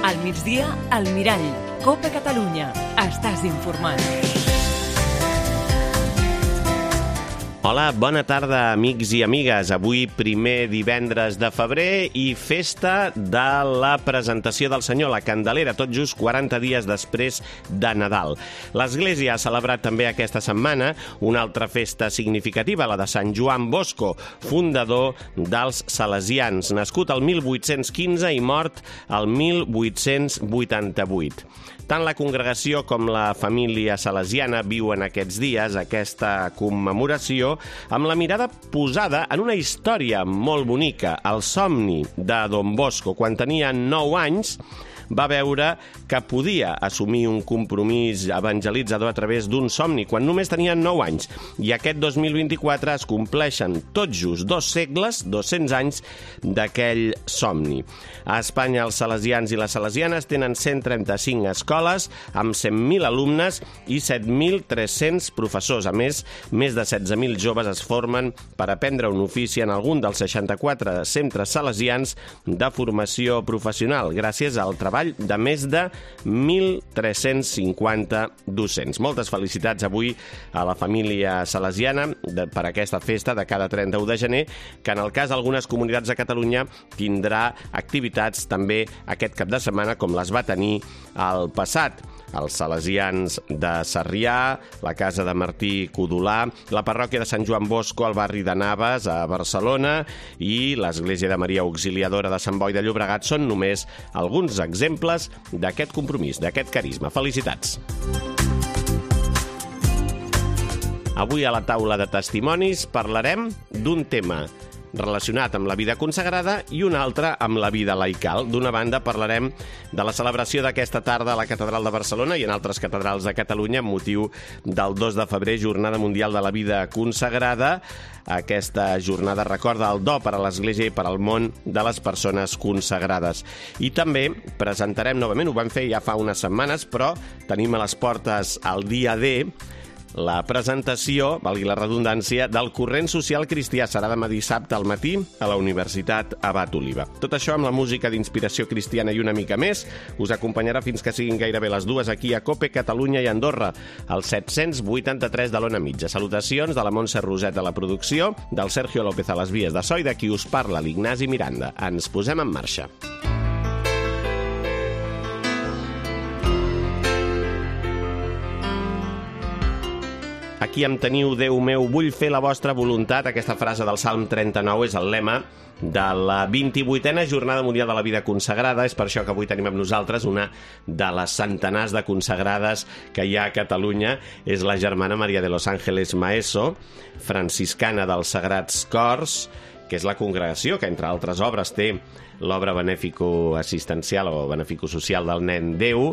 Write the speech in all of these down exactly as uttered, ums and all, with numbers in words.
Al migdia, al Mirall. Copa Catalunya. Estàs informat. Hola, bona tarda, amics i amigues. Avui, primer divendres de febrer i festa de la presentació del Senyor, la Candelera, tot just quaranta dies després de Nadal. L'Església ha celebrat també aquesta setmana una altra festa significativa, la de Sant Joan Bosco, fundador dels salesians, nascut el mil vuit-cents quinze i mort el mil vuit-cents vuitanta-vuit. Tant la congregació com la família salesiana viuen aquests dies aquesta commemoració amb la mirada posada en una història molt bonica, el somni de Don Bosco. Quan tenia nou anys, va veure que podia assumir un compromís evangelitzador a través d'un somni, quan només tenia nou anys. I aquest dos mil vint-i-quatre es compleixen tot just dos segles, dos-cents anys, d'aquell somni. A Espanya, els salesians i les salesianes tenen cent trenta-cinc escoles, amb cent mil alumnes i set mil tres-cents professors. A més, més de setze mil joves es formen per aprendre un ofici en algun dels seixanta-quatre centres salesians de formació professional, gràcies al treball de més de mil tres-cents cinquanta docents. Moltes felicitats avui a la família salesiana de, per aquesta festa de cada trenta-u de gener, que en el cas d'algunes comunitats de Catalunya tindrà activitats també aquest cap de setmana com les va tenir al passat. Els salesians de Sarrià, la casa de Martí Codolà, la parròquia de Sant Joan Bosco al barri de Navas, a Barcelona, i l'església de Maria Auxiliadora de Sant Boi de Llobregat són només alguns exemples d'aquest compromís, d'aquest carisma. Felicitats! Avui a la taula de testimonis parlarem d'un tema relacionat amb la vida consagrada i un altre amb la vida laical. D'una banda, parlarem de la celebració d'aquesta tarda a la Catedral de Barcelona i en altres catedrals de Catalunya amb motiu del dos de febrer, Jornada Mundial de la Vida Consagrada. Aquesta jornada recorda el do per a l'Església i per al món de les persones consagrades. I també presentarem novament, ho vam fer ja fa unes setmanes, però tenim a les portes el dia D, la presentació, valgui la redundància, del corrent social cristià. Serà demà dissabte al matí a la Universitat Abat Oliba. Tot això amb la música d'inspiració cristiana i una mica més us acompanyarà fins que siguin gairebé les dues aquí a Cope, Catalunya i Andorra, al set-cents vuitanta-tres de l'Ona Mitja. Salutacions de la Montse Roset a la producció, del Sergio López a les vies de so i de qui us parla, l'Ignasi Miranda. Ens posem en marxa. Aquí em teniu, Déu meu, vull fer la vostra voluntat. Aquesta frase del Salm trenta-nou és el lema de la vint-i-vuitena Jornada Mundial de la Vida Consagrada. És per això que avui tenim amb nosaltres una de les centenars de consagrades que hi ha a Catalunya. És la germana Maria de los Ángeles Maeso, franciscana dels Sagrats Cors, que és la congregació que, entre altres obres, té l'obra benefico-assistencial o benefico-social del Nen Déu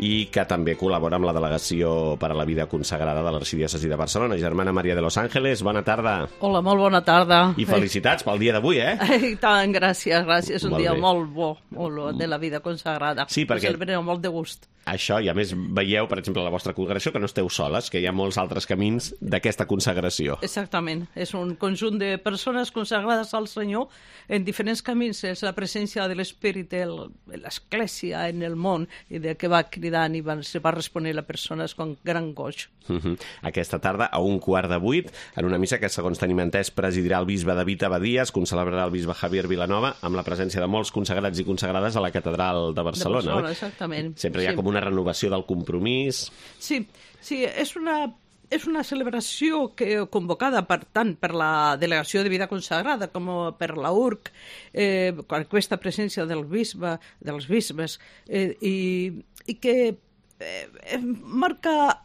i que també col·labora amb la Delegació per a la Vida Consagrada de l'Arxidiòcesi de Barcelona. Germana Maria de los Ángeles, bona tarda. Hola, molt bona tarda. I felicitats pel dia d'avui, eh? I tant, gràcies, gràcies. És un Molt dia bé. molt bo, molt bo, de la vida consagrada. Sí, perquè- Ho celebrem molt de gust. Això, i a més veieu, per exemple, a la vostra congregació, que no esteu soles, que hi ha molts altres camins d'aquesta consagració. Exactament. És un conjunt de persones consagrades al Senyor en diferents camins. És la presència de l'Espírit en l'Església, en el món, i de que va cridant i va, se va responent a persones con gran goig. Uh-huh. Aquesta tarda, a un quart de vuit, en una missa que, segons tenim entès, presidirà el bisbe David Abadías, concelebrarà el bisbe Javier Vilanova, amb la presència de molts consagrats i consagrades a la Catedral de Barcelona. De Barcelona, oi? exactament. Sempre hi ha Sí. com una renovació del compromís. Sí, sí, és una... És una celebració que, convocada per tant per la Delegació de Vida Consagrada com per la U R C, eh, amb aquesta presència del bisbe, dels bisbes, eh, i, i que eh, marca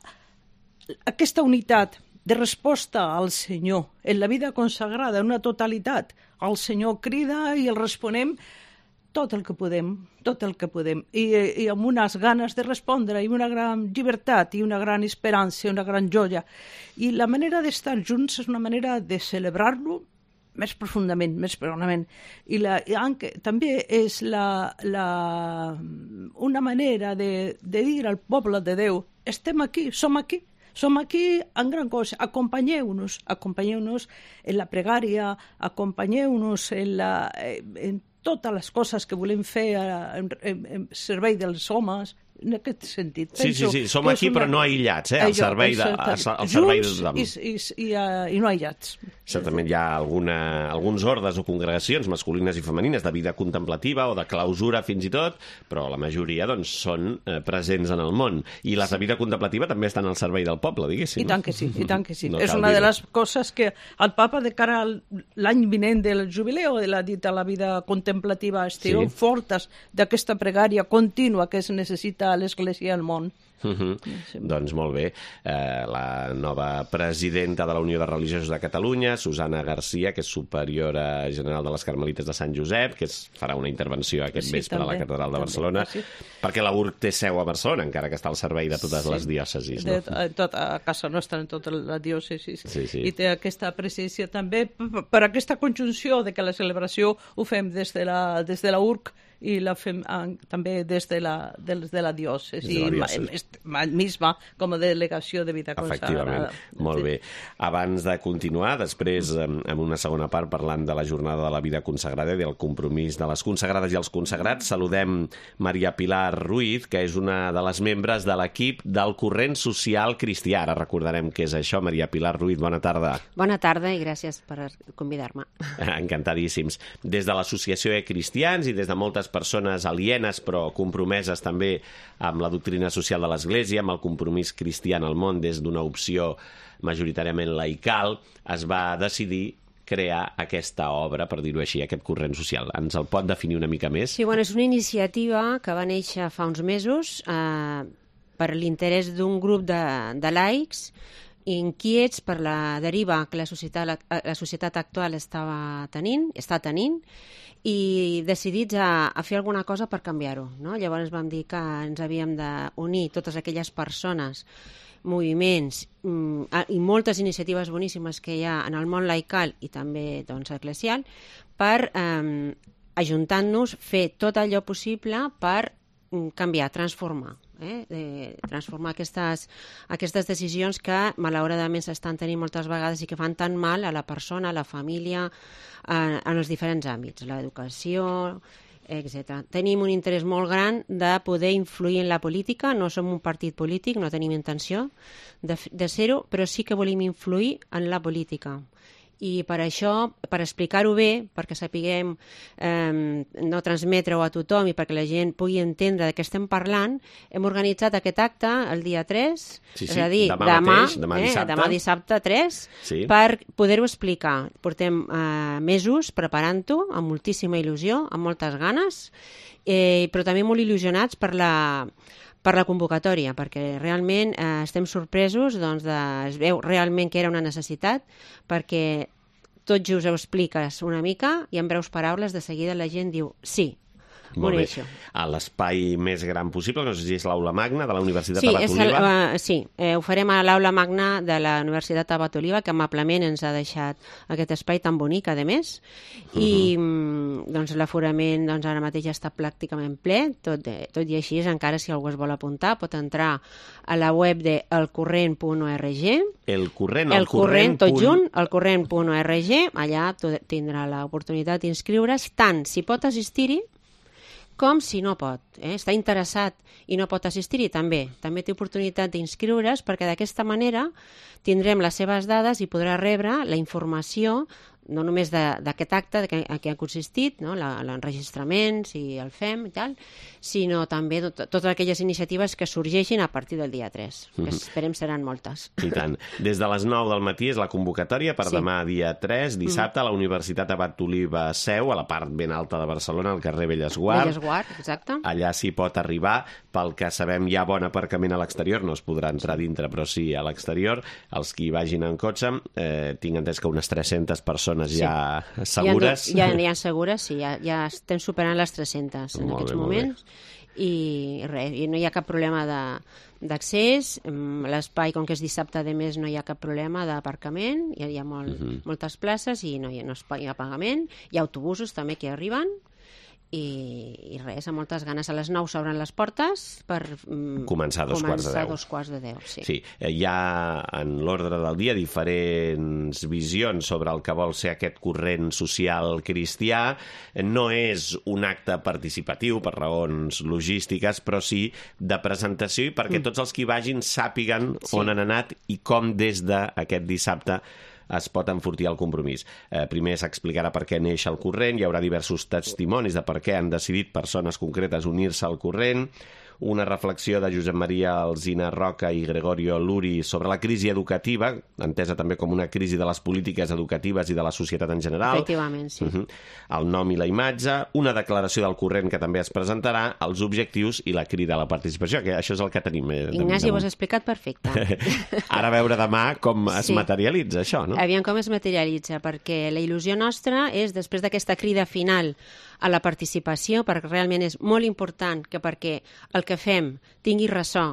aquesta unitat de resposta al Senyor en la vida consagrada, en una totalitat. El Senyor crida i el responem tot el que podem, tot el que podem, i, i amb unes ganes de respondre, i una gran llibertat, i una gran esperança, una gran joia. I la manera d'estar junts és una manera de celebrar-lo més profundament, més profundament. I, la, i anche, també és la, la, una manera de, de dir al poble de Déu, estem aquí, som aquí, som aquí en gran cosa, acompanyeu-nos, acompanyeu-nos en la pregària, acompanyeu-nos en, la, en totes les coses que volem fer en, en, en servei dels homes, en aquest sentit. Sí, sí, sí, som aquí una... però no aïllats, eh? Al servei de, al servei de tothom. I, i, i, i no aïllats. Certament hi ha alguna, alguns ordes o congregacions masculines i femenines de vida contemplativa o de clausura fins i tot, però la majoria doncs, són eh, presents en el món. I les de vida contemplativa també estan al servei del poble, diguéssim. I tant que sí, i tant que sí. No és una de les coses que el papa, de cara a l'any vinent del jubileu de la dita la vida contemplativa, esteu sí. fortes d'aquesta pregària contínua que es necessita a l'Església i al món. Uh -huh. sí. Doncs molt bé. Eh, la nova presidenta de la Unió de Religiosos de Catalunya, Susana Garcia, que és superiora general de les Carmelites de Sant Josep, que es farà una intervenció aquest sí, vespre també, a la Catedral de Barcelona, també, sí. perquè la U R C té seu a Barcelona, encara que està al servei de totes sí. les diòcesis. No? De, tot, a casa nostra, en tota la diòcesi. Sí, sí. I té aquesta presència també per aquesta conjunció de que la celebració ho fem des de la, des de la U R C i la fem també des de la, des de la diòcesi, misma com a delegació de vida consagrada. Molt bé. Abans de continuar, després, en una segona part, parlant de la jornada de la vida consagrada i del compromís de les consagrades i els consagrats, saludem Maria Pilar Ruiz, que és una de les membres de l'equip del Corrent Social Cristià. Ara recordarem què és això. Maria Pilar Ruiz, bona tarda. Bona tarda i gràcies per convidar-me. Encantadíssims. Des de l'Associació de Cristians i des de moltes persones alienes però compromeses també amb la doctrina social de l'Església, amb el compromís cristià en el món des d'una opció majoritàriament laical, es va decidir crear aquesta obra, per dir-ho així, aquest corrent social. Ens el pot definir una mica més? Sí, bueno, és una iniciativa que va néixer fa uns mesos eh, per l'interès d'un grup de, de laics inquiets per la deriva que la societat, la, la societat actual estava tenint, està tenint, i decidits a, a fer alguna cosa per canviar-ho. No? Llavors vam dir que ens havíem d'unir totes aquelles persones, moviments mm, i moltes iniciatives boníssimes que hi ha en el món laical i també doncs, eclesial per, eh, ajuntant-nos, fer tot allò possible per canviar, transformar. Eh? Eh, transformar aquestes, aquestes decisions que malauradament s'estan tenint moltes vegades i que fan tan mal a la persona, a la família, eh, en els diferents àmbits, l'educació, etcètera. Tenim un interès molt gran de poder influir en la política, no som un partit polític, no tenim intenció de, de ser-ho, però sí que volem influir en la política. I per això, per explicar-ho bé, perquè sapiguem eh, no transmetre-ho a tothom i perquè la gent pugui entendre de què estem parlant, hem organitzat aquest acte el dia tres, sí, sí. és a dir, demà, demà, mateix, demà, eh, dissabte. demà dissabte tres, sí. per poder-ho explicar. Portem eh, mesos preparant-ho, amb moltíssima il·lusió, amb moltes ganes, eh, però també molt il·lusionats per la... per la convocatòria, perquè realment eh, estem sorpresos, doncs de, es veu realment que era una necessitat, perquè tot just ho expliques una mica i en breus paraules de seguida la gent diu sí, molt bé. A l'espai més gran possible, no sé si és l'Aula Magna de la Universitat sí, Abat Oliva. Uh, sí, eh, ho farem a l'Aula Magna de la Universitat Abat Oliva, que amablement ens ha deixat aquest espai tan bonic, a més, uh-huh. i doncs, l'aforament doncs, ara mateix ja està pràcticament ple, tot, tot i així, encara si algú es vol apuntar, pot entrar a la web de elcorrent punt org. El corrent, el, el corrent, tot junt, elcorrent punt org, allà tindrà l'oportunitat d'inscriure's, tant si pot assistir-hi, com si no pot, eh? està interessat i no pot assistir-hi, també. També té oportunitat d'inscriure's perquè d'aquesta manera tindrem les seves dades i podrà rebre la informació no només d'aquest acte de que, a què ha consistit, no? l'enregistrament, si el fem i tal, sinó també tot, totes aquelles iniciatives que sorgeixin a partir del dia tres, que esperem seran moltes. I tant. Des de les nou del matí és la convocatòria per sí. demà dia tres, dissabte, a la Universitat Abat Oliva Seu, a la part ben alta de Barcelona, al carrer Bellesguard. Bellesguard, exacte. Allà s'hi pot arribar. Pel que sabem hi ha bon aparcament a l'exterior, no es podrà entrar dintre, però sí a l'exterior. Els que hi vagin en cotxe, eh, tinc entès que unes tres-centes persones sí. ja segures. Ja, ja, ja segures, sí, ja, ja estem superant les tres-centes en molt aquests bé, moments i res, i no hi ha cap problema d'accés, l'espai, com que és dissabte, a més no hi ha cap problema d'aparcament, hi ha, hi ha molt, uh-huh. moltes places i no hi ha, no hi ha pagament, hi ha autobusos també que arriben i, i res, amb moltes ganes. A les nou s'obren les portes per mm, començar a dos quarts de deu. dos quarts de deu, sí. Sí, hi ha en l'ordre del dia diferents visions sobre el que vol ser aquest corrent social cristià. No és un acte participatiu per raons logístiques, però sí de presentació i perquè mm. tots els que hi vagin sàpiguen sí. on han anat i com des d'aquest dissabte es pot enfortir el compromís. Eh, primer s'explicarà per què neix el corrent, hi haurà diversos testimonis de per què han decidit persones concretes unir-se al corrent, una reflexió de Josep Maria Alsina Roca i Gregorio Luri sobre la crisi educativa, entesa també com una crisi de les polítiques educatives i de la societat en general. Efectivament, sí. Uh-huh. El nom i la imatge, una declaració del corrent que també es presentarà, els objectius i la crida a la participació, que això és el que tenim. Eh, Ignasi, ho has explicat perfecte. Ara a veure demà com es sí. materialitza això, no? Aviam com es materialitza, perquè la il·lusió nostra és, després d'aquesta crida final a la participació, perquè realment és molt important que perquè el que fem tingui ressò,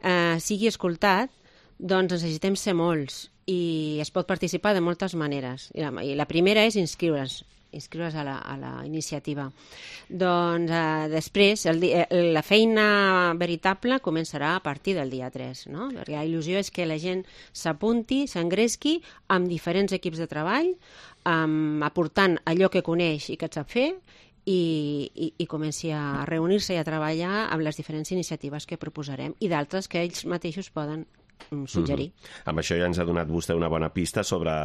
eh, sigui escoltat, doncs necessitem ser molts i es pot participar de moltes maneres. I la, i la primera és inscriure's, inscriure's a la, a la iniciativa. Doncs eh, després el, la feina veritable començarà a partir del dia tres, no? Perquè la il·lusió és que la gent s'apunti, s'engresqui amb diferents equips de treball, um, aportant allò que coneix i que sap fer, i, i, i comenci a reunir-se i a treballar amb les diferents iniciatives que proposarem i d'altres que ells mateixos poden suggerir. Mm-hmm. Amb això ja ens ha donat vostè una bona pista sobre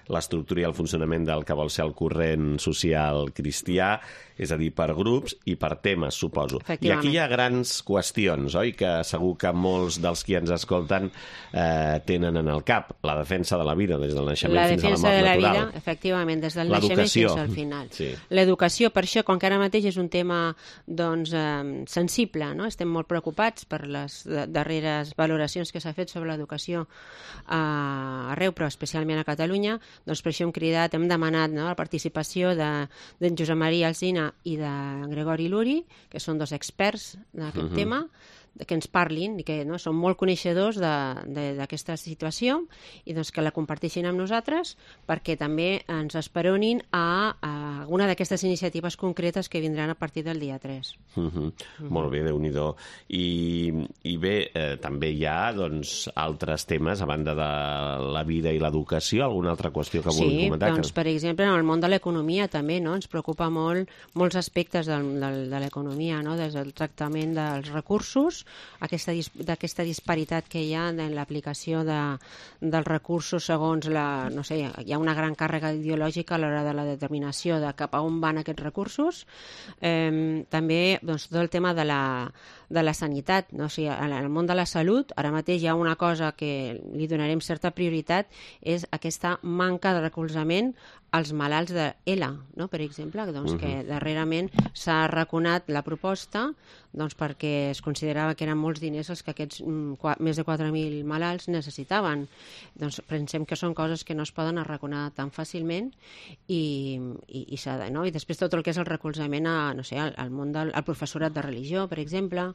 l'estructura i el funcionament del que vol ser el corrent social cristià, és a dir, per grups i per temes, suposo. I aquí hi ha grans qüestions, oi?, que segur que molts dels qui ens escolten eh, tenen en el cap. La defensa de la vida, des del naixement la fins a la mort natural. La defensa de la natural. vida, efectivament, des del naixement fins al final. Sí. L'educació, per això, com que ara mateix és un tema doncs, eh, sensible, no? Estem molt preocupats per les darreres valoracions que s'ha fet sobre l'educació eh, arreu, però especialment a Catalunya, doncs per això hem cridat, hem demanat, no?, la participació de, de Josep Maria Alsina i de Gregori Luri, que són dos experts d'aquest uh-huh. tema, que ens parlin i que no, són molt coneixedors d'aquesta situació i doncs, que la comparteixin amb nosaltres perquè també ens esperonin a, a alguna d'aquestes iniciatives concretes que vindran a partir del dia tres. Uh-huh. Uh-huh. Molt bé, Déu-n'hi-do. I, i bé, eh, també hi ha doncs, altres temes a banda de la vida i l'educació, alguna altra qüestió que vulgui sí, comentar? Sí, doncs, que... per exemple, en el món de l'economia també, no? Ens preocupa molt molts aspectes del, del, de l'economia, no? Des del tractament dels recursos, aquesta, d'aquesta disparitat que hi ha en l'aplicació de, dels recursos segons la, no sé, hi ha una gran càrrega ideològica a l'hora de la determinació de cap a on van aquests recursos. Eh, també doncs, tot el tema de la, de la sanitat, no? O sigui, en el món de la salut ara mateix hi ha una cosa que li donarem certa prioritat, és aquesta manca de recolzament als malalts de ELA, no? Per exemple, doncs, uh-huh. que darrerament s'ha arraconat la proposta doncs, perquè es considerava que eren molts diners els que aquests mm, més de quatre mil malalts necessitaven. Doncs pensem que són coses que no es poden arraconar tan fàcilment i, i, i s'ha de, no? I després tot el que és el recolzament a, no sé, al, al món del al professorat de religió, per exemple,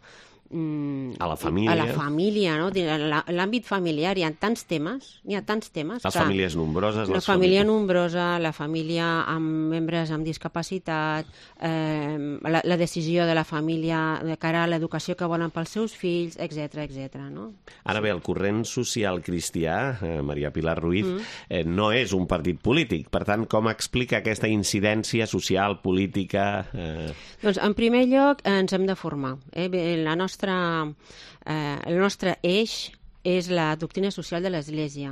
a la família, a la família, no? L'àmbit familiar, hi ha tants temes, hi ha tants temes. Les famílies nombroses. La família nombrosa, la família amb membres amb discapacitat, eh, la, la decisió de la família de cara a l'educació que volen pels seus fills, etcètera, etcètera, no? Ara bé, el corrent social cristià, eh, Maria Pilar Ruiz, mm. eh, no és un partit polític. Per tant, com explica aquesta incidència social, política? Eh... Doncs, en primer lloc, ens hem de formar. Eh? La nostra Eh, el nostre eix és la doctrina social de l'Església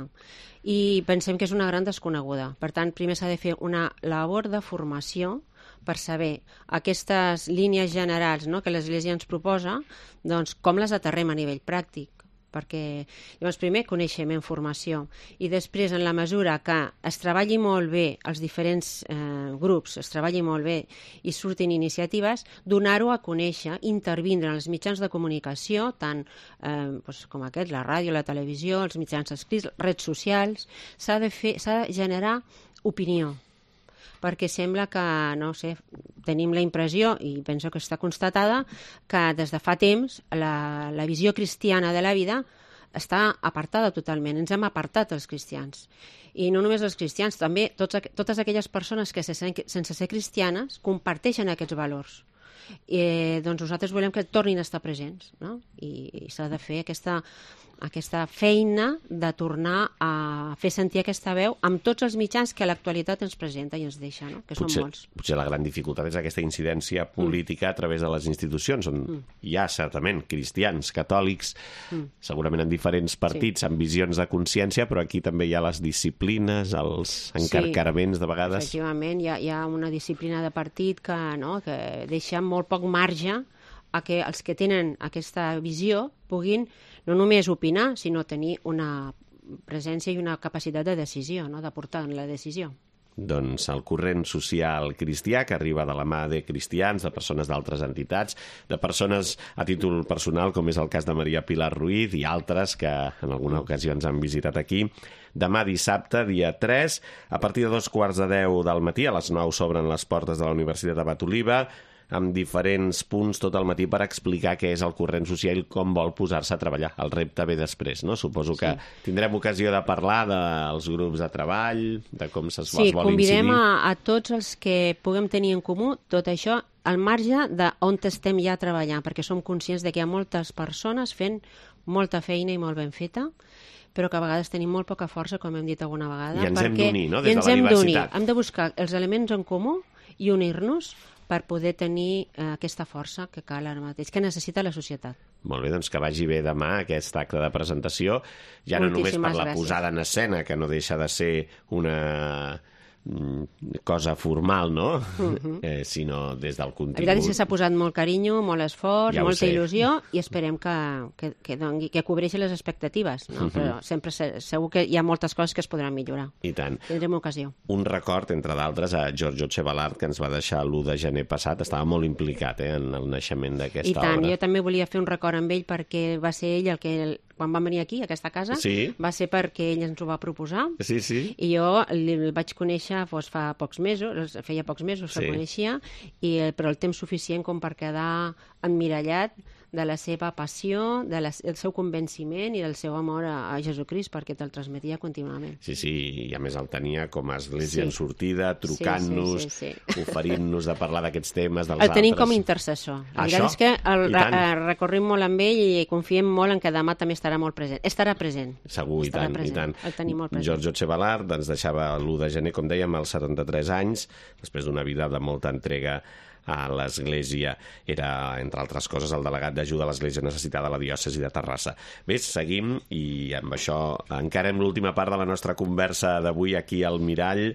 i pensem que és una gran desconeguda. Per tant, primer s'ha de fer una labor de formació per saber aquestes línies generals, no?, que l'Església ens proposa, doncs com les aterrem a nivell pràctic. Perquè, llavors, primer, coneixement, formació, i després, en la mesura que es treballi molt bé els diferents eh, grups, es treballi molt bé i surtin iniciatives, donar-ho a conèixer, intervindre en els mitjans de comunicació, tant eh, doncs, com aquest, la ràdio, la televisió, els mitjans escrits, redes socials, s'ha de fer, s'ha de generar opinió, perquè sembla que, no sé, tenim la impressió, i penso que està constatada, que des de fa temps la, la visió cristiana de la vida està apartada totalment. Ens hem apartat els cristians. I no només els cristians, també tots, totes aquelles persones que sense ser cristianes comparteixen aquests valors. I, doncs nosaltres volem que tornin a estar presents, no? I, i s'ha de fer aquesta, aquesta feina de tornar a fer sentir aquesta veu amb tots els mitjans que l'actualitat ens presenta i ens deixa, no? Que potser, són molts. Potser la gran dificultat és aquesta incidència política mm. a través de les institucions, on mm. hi ha certament cristians, catòlics, mm. segurament en diferents partits, sí. amb visions de consciència, però aquí també hi ha les disciplines, els encarcaraments sí, de vegades. Efectivament, hi ha, hi ha una disciplina de partit que, no, que deixa molt poc marge a que els que tenen aquesta visió puguin no només opinar, sinó tenir una presència i una capacitat de decisió, no? De portar en la decisió. Doncs el corrent social cristià, que arriba de la mà de cristians, de persones d'altres entitats, de persones a títol personal, com és el cas de Maria Pilar Ruiz i altres que en alguna ocasió ens han visitat aquí. Demà dissabte, dia tres, a partir de dos quarts de deu del matí, a les nou s'obren les portes de la Universitat Abat Oliba, amb diferents punts tot el matí per explicar què és el corrent social i com vol posar-se a treballar. El repte ve després, no? Suposo que sí. tindrem ocasió de parlar dels grups de treball, de com se'ls sí, vol incidir. Sí, convidem a, a tots els que puguem tenir en comú tot això al marge d'on estem ja treballant, perquè som conscients de que hi ha moltes persones fent molta feina i molt ben feta, però que a vegades tenim molt poca força, com hem dit alguna vegada. I ens hem d'unir, no?, des de la diversitat. Hem de buscar els elements en comú i unir-nos per poder tenir eh, aquesta força que cal ara mateix, que necessita la societat. Molt bé, doncs que vagi bé demà aquest acte de presentació, ja no només per la gràcies. Posada en escena, que no deixa de ser una cosa formal, no? Uh-huh. eh, sinó des del contingut. La veritat és que s'ha posat molt carinyo, molt esforç, ja molta il·lusió, i esperem que, que, que, dongui, que cobreixi les expectatives, no? Uh-huh. Però sempre segur que hi ha moltes coses que es podran millorar. I tant. Tindrem ocasió. Un record, entre d'altres, a Giorgio Chevallard, que ens va deixar l'u de gener passat. Estava molt implicat eh, en el naixement d'aquesta obra. I tant, jo també volia fer un record amb ell perquè va ser ell el que... quan vam venir aquí, a aquesta casa, sí. va ser perquè ell ens ho va proposar. Sí, sí. I jo el vaig conèixer doncs, fa pocs mesos, feia pocs mesos que sí. el coneixia, i, però el temps suficient com per quedar emmirallat de la seva passió, de la, del seu convenciment i del seu amor a, a Jesucrist, perquè te'l transmetia contínuament. Sí, sí, i a més el tenia com a església sí. en sortida, trucant-nos, sí, sí, sí, sí. oferint-nos de parlar d'aquests temes dels el altres. El tenim com a intercessor. La veritat és que el, re, recorrim molt amb ell i confiem molt en que demà també estarà molt present. Estarà present. Segur, i tant, present. i tant. El tenim molt present. Giorgio Chevallard ens deixava l'u de gener, com dèiem, als setanta-tres anys, després d'una vida de molta entrega a l'Església. Era, entre altres coses, el delegat d'ajuda a l'Església necessitada a la diòcesi de Terrassa. Bé, seguim, i amb això encarem l'última part de la nostra conversa d'avui aquí al Mirall,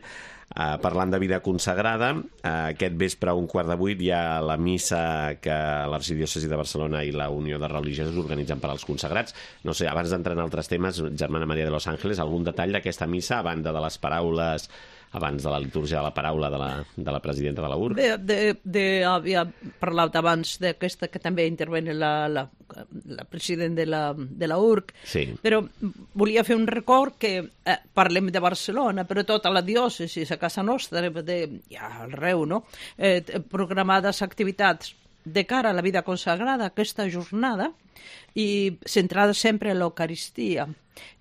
Uh, parlant de vida consagrada. Uh, aquest vespre a un quart de vuit hi ha la missa que l'Arxidiòcesi de Barcelona i la Unió de Religiosos organitzen per als consagrats. No sé, abans d'entrar en altres temes, Germana Maria de los Ángeles, algun detall d'aquesta missa, a banda de les paraules, abans de la litúrgia de la paraula de la, de la presidenta de la U R C? De, de, de, havia parlat abans d'aquesta que també intervene la, la, la presidenta de la, de la U R C, sí. Però volia fer un record que eh, parlem de Barcelona, però tota la diòcesi, a casa nostra, de, ja arreu, no? Eh, programades activitats de cara a la vida consagrada, aquesta jornada, i centrada sempre en l'Eucaristia,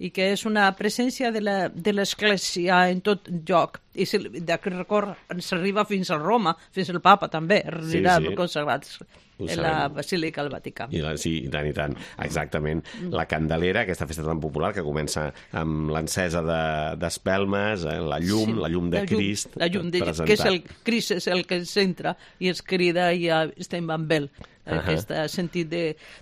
i que és una presència de l'Església en tot lloc. I d'aquest record ens arriba fins a Roma, fins al Papa també, anirà sí, sí. consagrats en la Basílica del Vaticà. I la, sí, i tant, i tant. Exactament. La Candelera, aquesta festa tan popular que comença amb l'encesa d'espelmes, de, eh, la llum, sí, la llum de la llum, Crist. La llum de Crist, que és el Crist, és el que ens entra i ens crida i ja estem amb ell. Uh-huh. Aquest sentit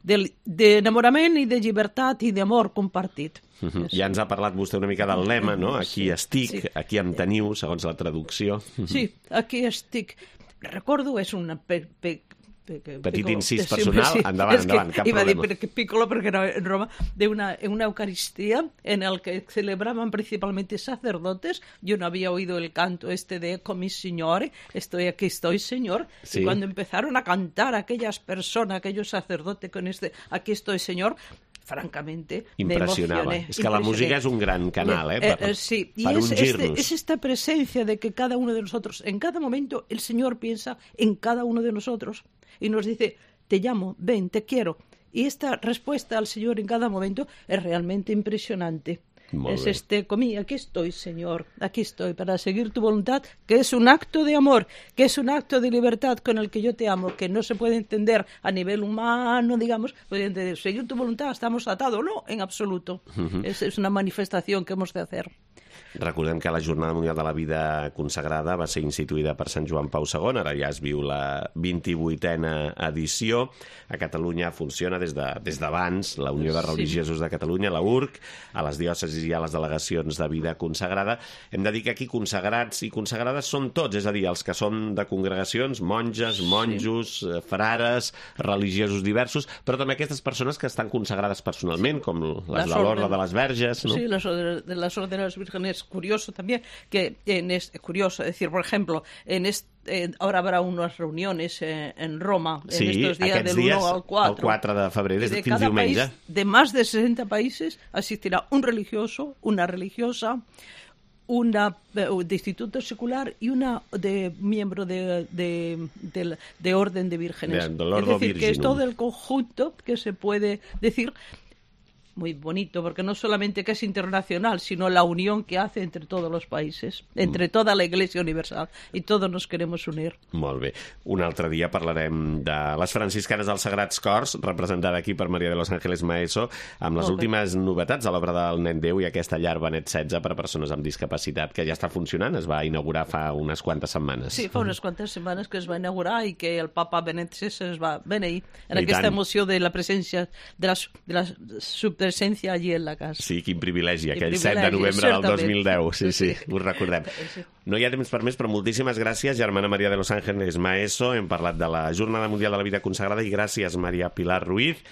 d'enamorament de, de i de llibertat i d'amor compartit. Uh-huh. Ja ens ha parlat vostè una mica del lema, no? Aquí sí, estic, sí. Aquí em teniu, segons la traducció. Sí, aquí estic. Recordo, és una... Pe, pe, petit incís personal, sí, endavant, endavant, cap iba problema. Iba a dir piccolo porque era en Roma, de una, una Eucaristía en el que celebraban principalmente sacerdotes. Yo no había oído el canto este de Ecco mi Signore, estoy aquí, estoy Señor. Sí. Y cuando empezaron a cantar aquellas personas, aquellos sacerdotes con este aquí estoy Señor, francamente, impressionava. És que la música és un gran canal, eh, per, eh, eh, sí. per es, ungir-nos. Es, es esta presencia de que cada uno de nosotros, en cada momento, el Señor piensa en cada uno de nosotros y nos dice, te llamo, ven, te quiero. y esta respuesta al Señor en cada momento es realmente impresionante. Molt es bé. este, comí, aquí estoy, Señor, aquí estoy para seguir tu voluntad, que es un acto de amor, que es un acto de libertad con el que yo te amo, que no se puede entender a nivel humano, digamos, puede entender, seguir tu voluntad, estamos atados, no, en absoluto. Uh-huh. es, es una manifestación que hemos de hacer. Recordem que la Jornada Mundial de la Vida Consagrada va ser instituïda per Sant Joan Pau segon, ara ja es viu la vint-i-vuitena edició. A Catalunya funciona des de, des d'abans la Unió de Religiosos de Catalunya, la U R C, a les diòcesis i a les delegacions de vida consagrada. Hem de dir que aquí consagrats i consagrades són tots, és a dir, els que són de congregacions, monges, monjos, sí. frares, religiosos diversos, però també aquestes persones que estan consagrades personalment, com les de l'Orde de les Verges, ¿no? Sí, las de las órdenes vírgenes. Curioso también que en es curioso, es decir, por ejemplo, en este Eh, ahora habrá unas reuniones eh, en Roma en sí, estos días del uno al cuatro. El quatre de febrer, des de fins cada diumenge. País, de más de sesenta países asistirá un religioso, una religiosa, una eh, de instituto secular y una de miembro de, de, de, de orden de vírgenes. De, de es decir, Virginum. Que es todo el conjunto que se puede decir. Muy bonito, porque no solamente que es internacional, sino la unión que hace entre todos los países, entre toda la Iglesia Universal, y todos nos queremos unir. Molt bé. Un altre dia parlarem de les franciscanes dels Sagrats Cors, representada aquí per Maria de los Ángeles Maeso, amb les Molt últimes bé. novetats a l'obra del Nen Déu i aquesta llar Benet setze per a persones amb discapacitat, que ja està funcionant, es va inaugurar fa unes quantes setmanes. Sí, fa unes quantes setmanes que es va inaugurar i que el papa Benet setze es va beneir en I aquesta tant. emoció de la presència, de la, de la subpresencia allí en la casa. Sí, quin privilegi, Quin aquell privilegi, set de novembre del dos mil deu. Sí, sí, sí. ho recordem. Sí. No hi ha temps per més, però moltíssimes gràcies, germana Maria de los Ángeles Maeso. Hem parlat de la Jornada Mundial de la Vida Consagrada i gràcies, Maria Pilar Ruiz.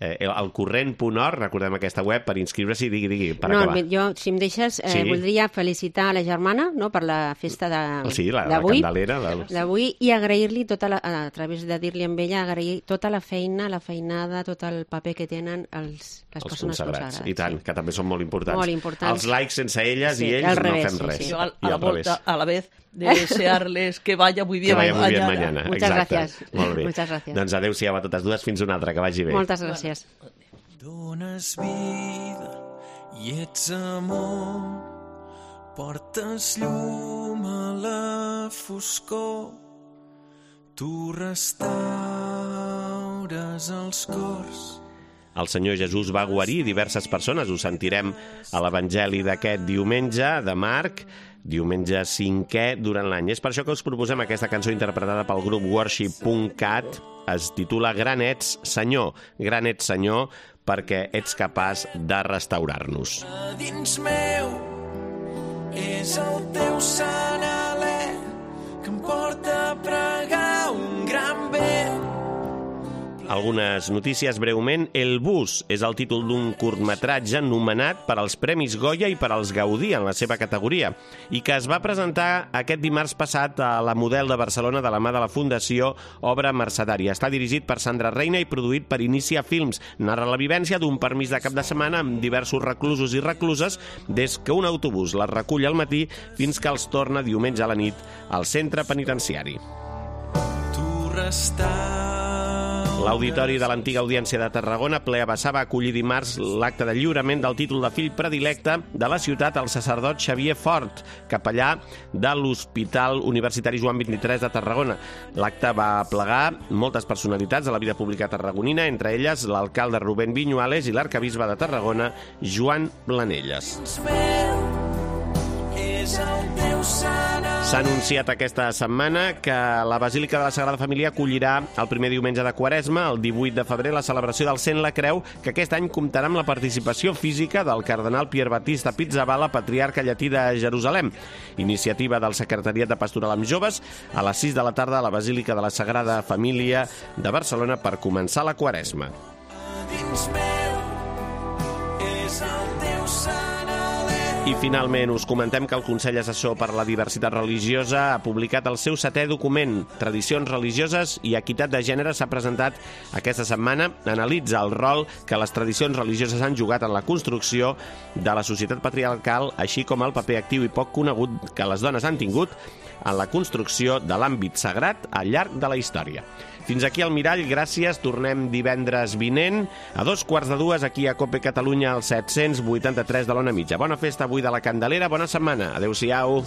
Eh, el corrent punt org, recordem aquesta web per inscriure-s'hi, digui, digui, per no, acabar. Jo, si em deixes, eh, sí. voldria felicitar a la germana, no?, per la festa de, sí, la, d'avui, la Candelera de... d'avui, i agrair-li tota la, a través de dir-li amb ella, agrair tota la feina, la feinada, tot el paper que tenen els, les els persones consagrats. consagrades. I tant, sí. que també són molt importants. Molt importants. Els laics sense elles sí, i ells revés, no fem res. Sí, sí. Yo a, I a la al revés. vuelta, a la vez, de desearles que vaya muy bien que vaya muy bien mañana. mañana. Muchas Exacte. gracias. Molt bé. Muchas gracias. Doncs adéu-siau a totes dues, fins una altra, que vagi bé. Moltes gràcies. Dones vida i ets amor, portes llum a la foscor, tu restaures els cors. El Senyor Jesús va guarir diverses persones, ho sentirem a l'Evangeli d'aquest diumenge de Marc, diumenge cinquè durant l'any. És per això que us proposem aquesta cançó interpretada pel grup worship punt cat, es titula Gran ets, Senyor, Gran ets, Senyor, perquè ets capaç de restaurar-nos. A dins meu és el teu sant alè que em porta a pregar un gran bé. Algunes notícies breument. El bus és el títol d'un curtmetratge nomenat per als Premis Goya i per als Gaudí en la seva categoria i que es va presentar aquest dimarts passat a la Model de Barcelona de la mà de la Fundació Obra Mercedària. Està dirigit per Sandra Reina i produït per Inicia Films. Narra la vivència d'un permís de cap de setmana amb diversos reclusos i recluses des que un autobús les recull al matí fins que els torna diumenge a la nit al centre penitenciari. Tu restaures. L'Auditori de l'antiga Audiència de Tarragona, ple a vessar, va acollir dimarts l'acte de lliurament del títol de fill predilecte de la ciutat al sacerdot Xavier Fort, capellà de l'Hospital Universitari Joan vint-i-tres de Tarragona. L'acte va plegar moltes personalitats de la vida pública tarragonina, entre elles l'alcalde Rubén Viñuales i l'arcabisbe de Tarragona, Joan Planelles. S'ha anunciat aquesta setmana que la Basílica de la Sagrada Família acollirà el primer diumenge de Quaresma, el divuit de febrer, la celebració del Cent la Creu, que aquest any comptarà amb la participació física del cardenal Pier Battista Pizzaballa, patriarca llatí de Jerusalem. Iniciativa del Secretariat de Pastoral amb Joves a les sis de la tarda a la Basílica de la Sagrada Família de Barcelona per començar la Quaresma. I finalment us comentem que el Consell Assessor per la Diversitat Religiosa ha publicat el seu setè document. Tradicions religioses i equitat de gènere s'ha presentat aquesta setmana. Analitza el rol que les tradicions religioses han jugat en la construcció de la societat patriarcal, així com el paper actiu i poc conegut que les dones han tingut en la construcció de l'àmbit sagrat al llarg de la història. Fins aquí el Mirall, gràcies. Tornem divendres vinent a dos quarts de dues aquí a Cope Catalunya al set-cents vuitanta-tres de l'Ona Mitja. Bona festa avui de la Candelera, bona setmana. Adéu-siau.